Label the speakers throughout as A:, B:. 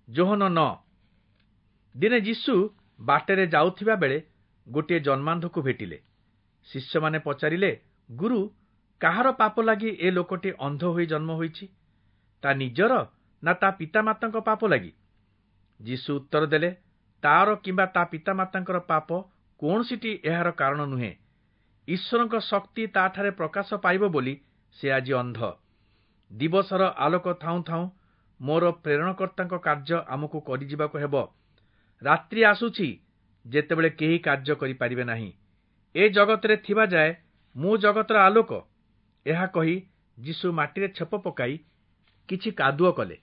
A: ଯୋହନ 9। ଦିନେ ଯୀଶୁ ବାଟରେ ଯାଉଥିବା ବେଳେ ଗୋଟିଏ ଜନ୍ମାନ୍ଧକୁ ଭେଟିଲେ। ଶିଷ୍ୟମାନେ ପଚାରିଲେ, ଗୁରୁ, କାହାର ପାପ ଲାଗି ଏ ଲୋକଟି ଅନ୍ଧ ହୋଇ ଜନ୍ମ ହୋଇଛି, ତା ନିଜର ନା ତା ପିତାମାତାଙ୍କ ପାପ ଲାଗି? ଯୀଶୁ ଉତ୍ତର ଦେଲେ, ତାର କିମ୍ବା ତା ପିତାମାତାଙ୍କର ପାପ କୌଣସିଟି ଏହାର କାରଣ ନୁହେଁ। ଈଶ୍ୱରଙ୍କ ଶକ୍ତି ତାଠାରେ ପ୍ରକାଶ ପାଇବ ବୋଲି ସେ ଆଜି ଅନ୍ଧ। ଦିବସର ଆଲୋକ ଥାଉଁ ଥାଉଁ ମୋର ପ୍ରେରଣକର୍ତ୍ତାଙ୍କ କାର୍ଯ୍ୟ ଆମକୁ କରିଯିବାକୁ ହେବ। ରାତ୍ରି ଆସୁଛି, ଯେତେବେଳେ କେହି କାର୍ଯ୍ୟ କରିପାରିବେ ନାହିଁ। ଏ ଜଗତରେ ଥିବା ଯାଏ ମୁଁ ଜଗତର ଆଲୋକ। ଏହା କହି ଯୀଶୁ ମାଟିରେ ଛେପ ପକାଇ କିଛି କାଦୁଅ କଲେ।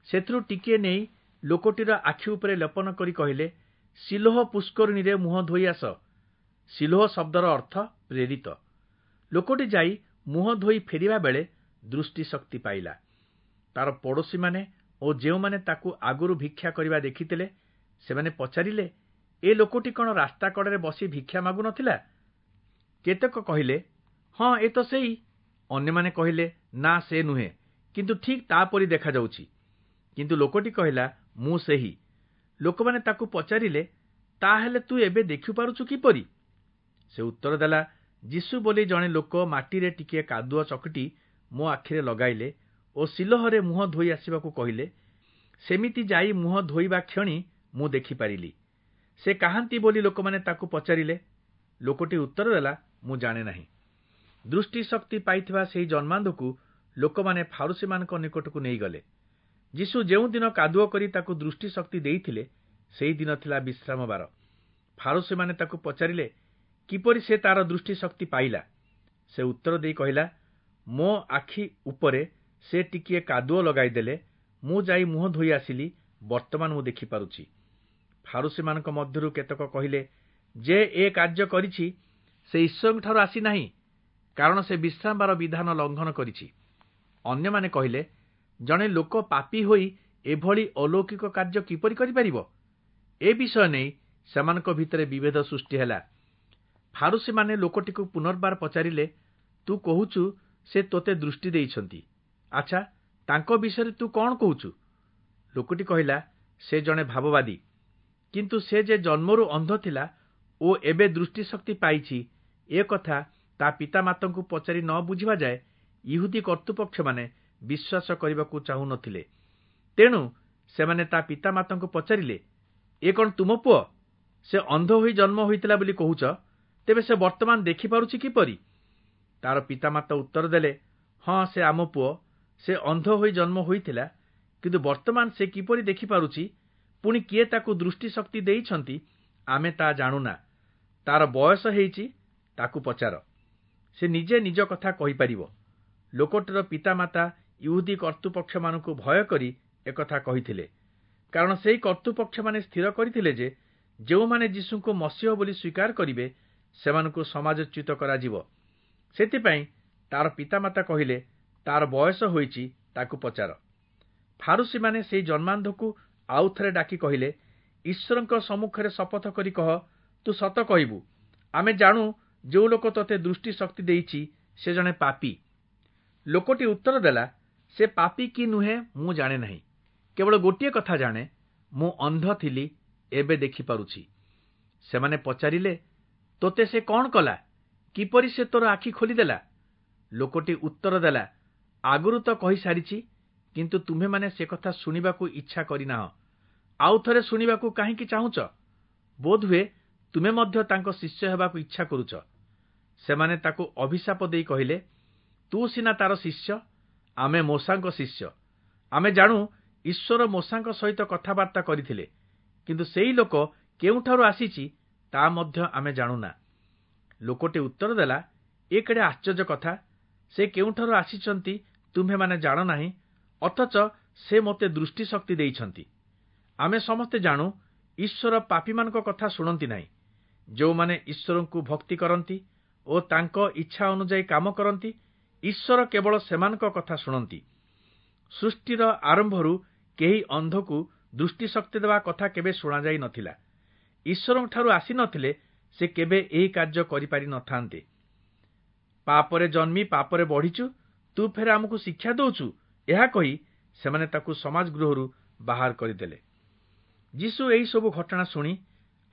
A: ସେଥିରୁ ଟିକିଏ ନେଇ ଲୋକଟିର ଆଖି ଉପରେ ଲେପନ କରି କହିଲେ, ସିଲୋହ ପୁଷ୍କରିଣୀରେ ମୁହଁ ଧୋଇ ଆସ। ସିଲୋହ ଶବ୍ଦର ଅର୍ଥ ପ୍ରେରିତ। ଲୋକଟି ଯାଇ ମୁହଁ ଧୋଇ ଫେରିବା ବେଳେ ଦୃଷ୍ଟିଶକ୍ତି ପାଇଲା। ତାର ପଡ଼ୋଶୀମାନେ ଓ ଯେଉଁମାନେ ତାକୁ ଆଗରୁ ଭିକ୍ଷା କରିବା ଦେଖିଥିଲେ, ସେମାନେ ପଚାରିଲେ, ଏ ଲୋକଟି କ'ଣ ରାସ୍ତା କଡ଼ରେ ବସି ଭିକ୍ଷା ମାଗୁନଥିଲା? କେତେକ କହିଲେ, ହଁ, ଏ ତ ସେଇ। ଅନ୍ୟମାନେ କହିଲେ, ନା, ସେ ନୁହେଁ, କିନ୍ତୁ ଠିକ୍ ତା'ପରି ଦେଖାଯାଉଛି। କିନ୍ତୁ ଲୋକଟି କହିଲା, ମୁଁ ସେହି। ଲୋକମାନେ ତାକୁ ପଚାରିଲେ, ତାହେଲେ ତୁ ଏବେ ଦେଖିପାରୁଛୁ କିପରି? ସେ ଉତ୍ତର ଦେଲା, ଯୀଶୁ ବୋଲି ଜଣେ ଲୋକ ମାଟିରେ ଟିକିଏ କାଦୁଅ ଚକଟି ମୋ ଆଖିରେ ଲଗାଇଲେ ଓ ସିଲୋହରେ ମୁହଁ ଧୋଇ ଆସିବାକୁ କହିଲେ। ସେମିତି ଯାଇ ମୁହଁ ଧୋଇବା କ୍ଷଣି ମୁଁ ଦେଖିପାରିଲି। ସେ କାହାନ୍ତି ବୋଲି ଲୋକମାନେ ତାକୁ ପଚାରିଲେ। ଲୋକଟି ଉତ୍ତର ଦେଲା, ମୁଁ ଜାଣେ ନାହିଁ। ଦୃଷ୍ଟିଶକ୍ତି ପାଇଥିବା ସେହି ଜନ୍ମାନ୍ଧକୁ ଲୋକମାନେ ଫାରୁସୀମାନଙ୍କ ନିକଟକୁ ନେଇଗଲେ। ଯୀଶୁ ଯେଉଁଦିନ କାଦୁଅ କରି ତାକୁ ଦୃଷ୍ଟିଶକ୍ତି ଦେଇଥିଲେ, ସେହି ଦିନ ଥିଲା ବିଶ୍ରାମବାର। ଫାରୁସୀମାନେ ତାକୁ ପଚାରିଲେ, କିପରି ସେ ତାର ଦୃଷ୍ଟିଶକ୍ତି ପାଇଲା? ସେ ଉତ୍ତର ଦେଇ କହିଲା, ମୋ ଆଖି ଉପରେ ସେ ଟିକିଏ କାଦୁଅ ଲଗାଇଦେଲେ, ମୁଁ ଯାଇ ମୁହଁ ଧୋଇ ଆସିଲି, ବର୍ତ୍ତମାନ ମୁଁ ଦେଖିପାରୁଛି। ଫାରୁସୀମାନଙ୍କ ମଧ୍ୟରୁ କେତେକ କହିଲେ, ଯେ ଏ କାର୍ଯ୍ୟ କରିଛି ସେ ଈଶ୍ୱରଙ୍କଠାରୁ ଆସିନାହିଁ, କାରଣ ସେ ବିଶ୍ରାମବାର ବିଧାନ ଲଙ୍ଘନ କରିଛି। ଅନ୍ୟମାନେ କହିଲେ, ଜଣେ ଲୋକ ପାପୀ ହୋଇ ଏଭଳି ଅଲୌକିକ କାର୍ଯ୍ୟ କିପରି କରିପାରିବ? ଏ ବିଷୟ ନେଇ ସେମାନଙ୍କ ଭିତରେ ବିଭେଦ ସୃଷ୍ଟି ହେଲା। ଫାରୁସୀମାନେ ଲୋକଟିକୁ ପୁନର୍ବାର ପଚାରିଲେ, ତୁ କହୁଛୁ ସେ ତୋତେ ଦୃଷ୍ଟି ଦେଇଛନ୍ତି, ଆଚ୍ଛା, ତାଙ୍କ ବିଷୟରେ ତୁ କ'ଣ କହୁଛୁ? ଲୋକଟି କହିଲା, ସେ ଜଣେ ଭାବବାଦୀ। କିନ୍ତୁ ସେ ଯେ ଜନ୍ମରୁ ଅନ୍ଧ ଥିଲା ଓ ଏବେ ଦୃଷ୍ଟିଶକ୍ତି ପାଇଛି, ଏ କଥା ତା ପିତାମାତାଙ୍କୁ ପଚାରି ନ ବୁଝିବା ଯାଏ ଇହୁଦୀ କର୍ତ୍ତୃପକ୍ଷମାନେ ବିଶ୍ୱାସ କରିବାକୁ ଚାହୁଁନଥିଲେ। ତେଣୁ ସେମାନେ ତା ପିତାମାତାଙ୍କୁ ପଚାରିଲେ, ଏ କ'ଣ ତୁମ ପୁଅ? ସେ ଅନ୍ଧ ହୋଇ ଜନ୍ମ ହୋଇଥିଲା ବୋଲି କହୁଛ, ତେବେ ସେ ବର୍ତ୍ତମାନ ଦେଖିପାରୁଛି କିପରି? ତାର ପିତାମାତା ଉତ୍ତର ଦେଲେ, ହଁ, ସେ ଆମ ପୁଅ, ସେ ଅନ୍ଧ ହୋଇ ଜନ୍ମ ହୋଇଥିଲା, କିନ୍ତୁ ବର୍ତ୍ତମାନ ସେ କିପରି ଦେଖିପାରୁଛି, ପୁଣି କିଏ ତାକୁ ଦୃଷ୍ଟିଶକ୍ତି ଦେଇଛନ୍ତି, ଆମେ ତା ଜାଣୁନା। ତାର ବୟସ ହେଇଛି, ତାକୁ ପଚାର, ସେ ନିଜେ ନିଜ କଥା କହିପାରିବ। ଲୋକଟିର ପିତାମାତା ଇହୁଦୀ କର୍ତ୍ତୃପକ୍ଷମାନଙ୍କୁ ଭୟ କରି ଏକଥା କହିଥିଲେ, କାରଣ ସେହି କର୍ତ୍ତୃପକ୍ଷମାନେ ସ୍ଥିର କରିଥିଲେ ଯେ ଯେଉଁମାନେ ଯୀଶୁଙ୍କୁ ମସିହ ବୋଲି ସ୍ୱୀକାର କରିବେ, ସେମାନଙ୍କୁ ସମାଜଚ୍ୟୁତ କରାଯିବ। ସେଥିପାଇଁ ତାର ପିତାମାତା କହିଲେ, ତାର ବୟସ ହୋଇଛି, ତାକୁ ପଚାର। ଫାରୁସୀମାନେ ସେହି ଜନ୍ମାନ୍ଧକୁ ଆଉ ଥରେ ଡାକି କହିଲେ, ଈଶ୍ୱରଙ୍କ ସମ୍ମୁଖରେ ଶପଥ କରି କହ, ତୁ ସତ କହିବୁ। ଆମେ ଜାଣୁ ଯେଉଁ ଲୋକ ତୋତେ ଦୃଷ୍ଟିଶକ୍ତି ଦେଇଛି ସେ ଜଣେ ପାପୀ। ଲୋକଟି ଉତ୍ତର ଦେଲା, ସେ ପାପୀ କି ନୁହେଁ ମୁଁ ଜାଣେ ନାହିଁ, କେବଳ ଗୋଟିଏ କଥା ଜାଣେ, ମୁଁ ଅନ୍ଧ ଥିଲି, ଏବେ ଦେଖିପାରୁଛି। ସେମାନେ ପଚାରିଲେ, ତୋତେ ସେ କ'ଣ କଲା? କିପରି ସେ ତୋର ଆଖି ଖୋଲିଦେଲା? ଲୋକଟି ଉତ୍ତର ଦେଲା, ଆଗରୁ ତ କହିସାରିଛି, କିନ୍ତୁ ତୁମ୍ଭେମାନେ ସେ କଥା ଶୁଣିବାକୁ ଇଚ୍ଛା କରିନାହଁ। ଆଉ ଥରେ ଶୁଣିବାକୁ କାହିଁକି ଚାହୁଁଛ? ବୋଧହୁଏ ତୁମେ ମଧ୍ୟ ତାଙ୍କ ଶିଷ୍ୟ ହେବାକୁ ଇଚ୍ଛା କରୁଛ। ସେମାନେ ତାକୁ ଅଭିଶାପ ଦେଇ କହିଲେ, ତୁ ସିନା ତାର ଶିଷ୍ୟ, ଆମେ ମୋଶାଙ୍କ ଶିଷ୍ୟ। ଆମେ ଜାଣୁ ଈଶ୍ୱର ମୋଶାଙ୍କ ସହିତ କଥାବାର୍ତ୍ତା କରିଥିଲେ, କିନ୍ତୁ ସେଇ ଲୋକ କେଉଁଠାରୁ ଆସିଛି ତା ମଧ୍ୟ ଆମେ ଜାଣୁନା। ଲୋକଟି ଉତ୍ତର ଦେଲା, ଏ କେଡ଼େ ଆଶ୍ଚର୍ଯ୍ୟ କଥା! ସେ କେଉଁଠାରୁ ଆସିଛନ୍ତି ତୁମ୍ଭେମାନେ ଜାଣ ନାହିଁ, ଅଥଚ ସେ ମୋତେ ଦୃଷ୍ଟିଶକ୍ତି ଦେଇଛନ୍ତି। ଆମେ ସମସ୍ତେ ଜାଣୁ ଈଶ୍ୱର ପାପୀମାନଙ୍କ କଥା ଶୁଣନ୍ତି ନାହିଁ। ଯେଉଁମାନେ ଈଶ୍ୱରଙ୍କୁ ଭକ୍ତି କରନ୍ତି ଓ ତାଙ୍କ ଇଚ୍ଛା ଅନୁଯାୟୀ କାମ କରନ୍ତି, ଈଶ୍ୱର କେବଳ ସେମାନଙ୍କ କଥା ଶୁଣନ୍ତି। ସୃଷ୍ଟିର ଆରମ୍ଭରୁ କେହି ଅନ୍ଧକୁ ଦୃଷ୍ଟିଶକ୍ତି ଦେବା କଥା କେବେ ଶୁଣାଯାଇ ନଥିଲା। ଈଶ୍ୱରଙ୍କଠାରୁ ଆସିନଥିଲେ ସେ କେବେ ଏହି କାର୍ଯ୍ୟ କରିପାରି ନଥାନ୍ତେ। ପାପରେ ଜନ୍ମି ପାପରେ ବଢ଼ିଛୁ, ତୁ ଫେର ଆମକୁ ଶିକ୍ଷା ଦଉଛୁ? ଏହା କହି ସେମାନେ ତାକୁ ସମାଜ ଗୃହରୁ ବାହାର କରିଦେଲେ। ଯୀଶୁ ଏହିସବୁ ଘଟଣା ଶୁଣି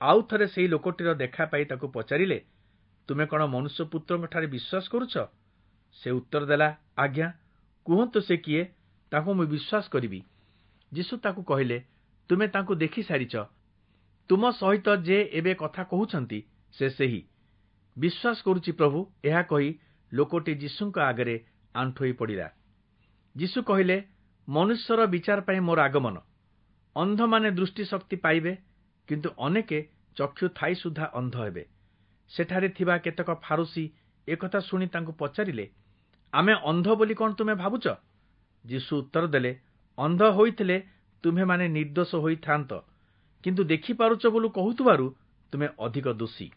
A: ଆଉ ଥରେ ସେହି ଲୋକଟିର ଦେଖା ପାଇ ତାକୁ ପଚାରିଲେ, ତୁମେ କ'ଣ ମନୁଷ୍ୟପୁତ୍ରଙ୍କଠାରେ ବିଶ୍ୱାସ କରୁଛ? ସେ ଉତ୍ତର ଦେଲା, ଆଜ୍ଞା, କୁହନ୍ତୁ ସେ କିଏ, ତାଙ୍କୁ ମୁଁ ବିଶ୍ୱାସ କରିବି। ଯୀଶୁ ତାକୁ କହିଲେ, ତୁମେ ତାଙ୍କୁ ଦେଖିସାରିଛ, ତୁମ ସହିତ ଯେ ଏବେ କଥା କହୁଛନ୍ତି ସେ ସେହି। ବିଶ୍ୱାସ କରୁଛି ପ୍ରଭୁ, ଏହା କହି ଲୋକଟି ଯୀଶୁଙ୍କ ଆଗରେ ଆଣ୍ଠୋଇ ପଡ଼ିଲା। ଯୀଶୁ କହିଲେ, ମନୁଷ୍ୟର ବିଚାର ପାଇଁ ମୋର ଆଗମନ। ଅନ୍ଧମାନେ ଦୃଷ୍ଟିଶକ୍ତି ପାଇବେ, କିନ୍ତୁ ଅନେକେ ଚକ୍ଷୁ ଥାଇ ସୁଦ୍ଧା ଅନ୍ଧ ହେବେ। ସେଠାରେ ଥିବା କେତେକ ଫାରୁଶୀ ଏକଥା ଶୁଣି ତାଙ୍କୁ ପଚାରିଲେ, ଆମେ ଅନ୍ଧ ବୋଲି କ'ଣ ତୁମେ ଭାବୁଛ? ଯୀଶୁ ଉତ୍ତର ଦେଲେ, ଅନ୍ଧ ହୋଇଥିଲେ ତୁମ୍ଭେମାନେ ନିର୍ଦ୍ଦୋଷ ହୋଇଥାନ୍ତ, କିନ୍ତୁ ଦେଖିପାରୁଛ ବୋଲି କହୁଥିବାରୁ ତୁମେ ଅଧିକ ଦୋଷୀ।